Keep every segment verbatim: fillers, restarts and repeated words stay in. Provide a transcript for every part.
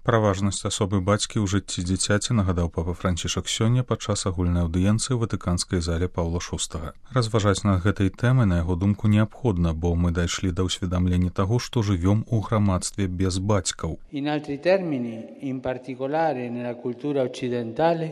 Пра важнасць асобы бацькі ў жыцці дзіцяці нагадаў папа Францішак сёння падчас агульнай аўдыенцыі ў ватыканскай зале Паўла шостага. Разважаць над гэтай тэмай, на яго думку, неабходна, бо мы дайшлі да ўсведамлення таго, што жывём у грамадстве без бацькаў. In altri termini, in particolare nella cultura occidentale,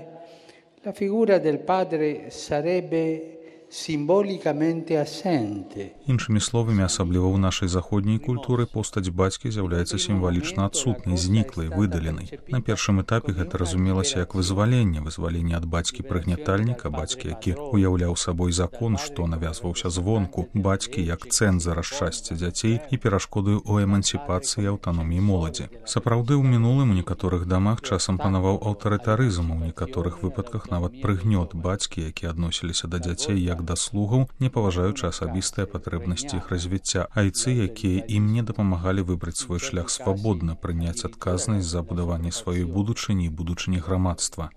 la figura del padre sarebbe simbolicamente assente. Іншымі словамі, асабліва ў нашай заходняй культуры, постаць бацькі з'яўляецца сімвалічна адсутнай, зніклай, выдаленай. На першым этапе гэта разумелася як вызваленне, вызваленне ад бацькі-прыгнятальніка, бацькі, які уяўляў сабой закон, што навязваўся звонку, бацькі як цэнзара шчасця дзяцей і перашкодаю ў эмансіпацыі і аўтаноміі моладзі. Сапраўды, ў мінулым у некаторых дамах часам панаваў аўтарытарызм, у некаторых выпадках нават прыгнёт бацькі, якія адносіліся да дзяцей як да слугаў, не паважаючы асабістыя патрэбнасці іх развіцця, айцы, якія ім не дапамагалі выбраць свой шлях свабодна, прыняць адказнасць за будаванне сваёй будучыні і будучыні грамадства.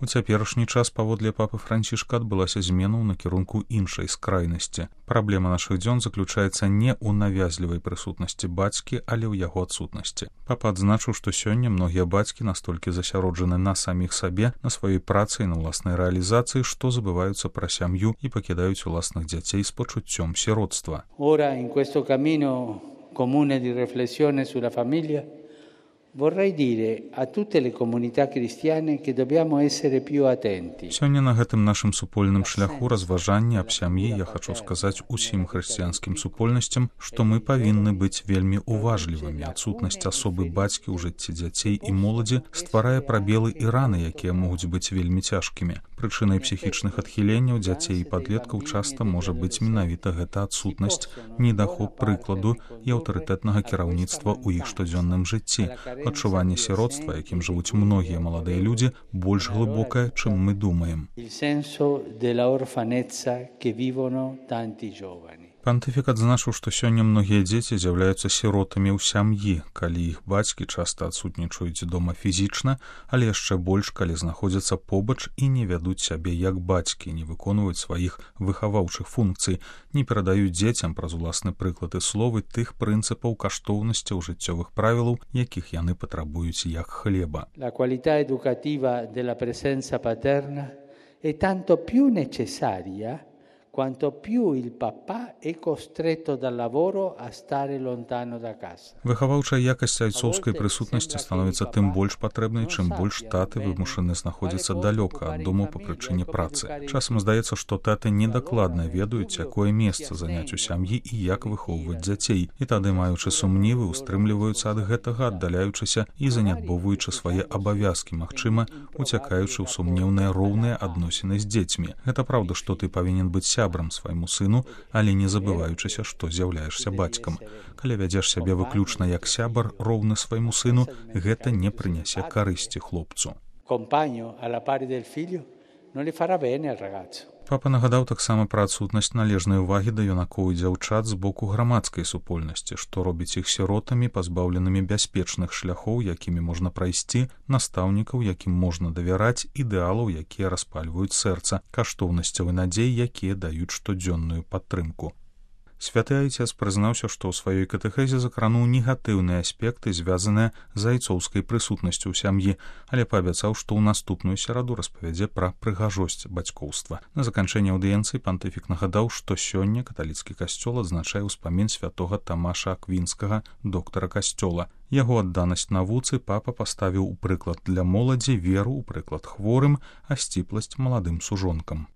У цяперашні час, паводле папы Францішка, адбылася змена ў накірунку іншай скрайнасці. Праблема нашых дзён заключаецца не ў навязлівай прысутнасці бацькі, але ў яго адсутнасці. Папа адзначыў, што сёння многія бацькі настолькі засяроджаны на саміх сабе, на сваёй працы і на ўласнай рэалізацыі, што забываюцца пра сям'ю і пакідаюць уласных дзяцей з пачуццём сіроцтва. Ora in questo cammino comune di riflessione sulla famiglia vorrei dire a tutte le comunità cristiane che dobbiamo essere più attenti. Сёння на гэтым нашым супольным шляху разважання аб сям'і я хачу сказаць усім хрысціянскім супольнасцям, што мы павінны быць вельмі уважлівымі. Адсутнасць асобы бацькі ў жыцці дзяцей і моладзі стварае прабелы і раны, якія могуць быць вельмі цяжкімі. Прычынай псіхічных адхіленняў дзяцей і падлеткаў часта можа быць менавіта гэта адсутнасць, недахоп прыкладу і аўтарытэтнага кіраўніцтва ў іх штодзённым жыцці. Адчуванне сіроцтва, якім жывуць многія маладыя людзі, больш глыбокае, чым мы думаем. Пантыфік адзначыў, што сёння многія дзеці з'яўляюцца сіротамі ў сям'і, калі іх бацькі часта адсутнічаюць дома фізічна, але яшчэ больш, калі знаходзяцца побач і не вядуць сябе як бацькі, не выконваюць сваіх выхаваўчых функцый, не перадаюць дзецям праз уласны прыклад і словы тых прынцыпаў каштоўнасцяў жыццёвых правілаў, якіх яны патрабуюць як хлеба. La qualità educativa della presenza paterna è tanto più necessaria quanto più il papà è costretto dal lavoro a stare lontano da casa. Выхаваўчая якасць айцоўскай прысутнасці становіцца тым больш патрэбнай, чым больш таты вымушаны знаходзіцца далёка ад дому па прычыне працы. Часам здаецца, што таты недакладна ведаюць, якое месца заняць у сям'і і як выхоўваць дзяцей. І тады, маючы сумнівы, устрымліваюцца ад гэтага, аддаляючыся і занядбоўваючы свае абавязкі, магчыма, уцякаючы ў сумнеўныя роўныя адносіны з дзецьмі. Гэта праўда, што ты павінен быць сябрам свайму сыну, але не забываючыся, што з'яўляешся бацькам. Калі вядзеш сябе выключна як сябар, роўны свайму сыну, гэта не прынясе карысці хлопцу. Папа нагадаў таксама пра адсутнасць належнай увагі да юнакоў і дзяўчат з боку грамадскай супольнасці, што робіць іх сіротамі, пазбаўленымі бяспечных шляхоў, якімі можна прайсці, настаўнікаў, якім можна давяраць, ідэалаў, якія распальваюць сэрца, каштоўнасцяў і надзей, якія даюць штодзённую падтрымку. Святы айцец прызнаўся, што ў сваёй катэхезе закрануў негатыўныя аспекты, звязаныя з айцоўскай прысутнасцю ў сям'і, але паабяцаў, што ў наступную сераду распавядзе пра прыгажосць бацькоўства. На заканчэнне аўдыенцыі пантыфік нагадаў, што сёння каталіцкі касцёл адзначае ўспамін святога Тамаша Аквінскага, доктара касцёла. Яго адданасць навуцы папа паставіў у прыклад для моладзі, веру ў прыклад хворым, а сціпласць маладым сужонкам.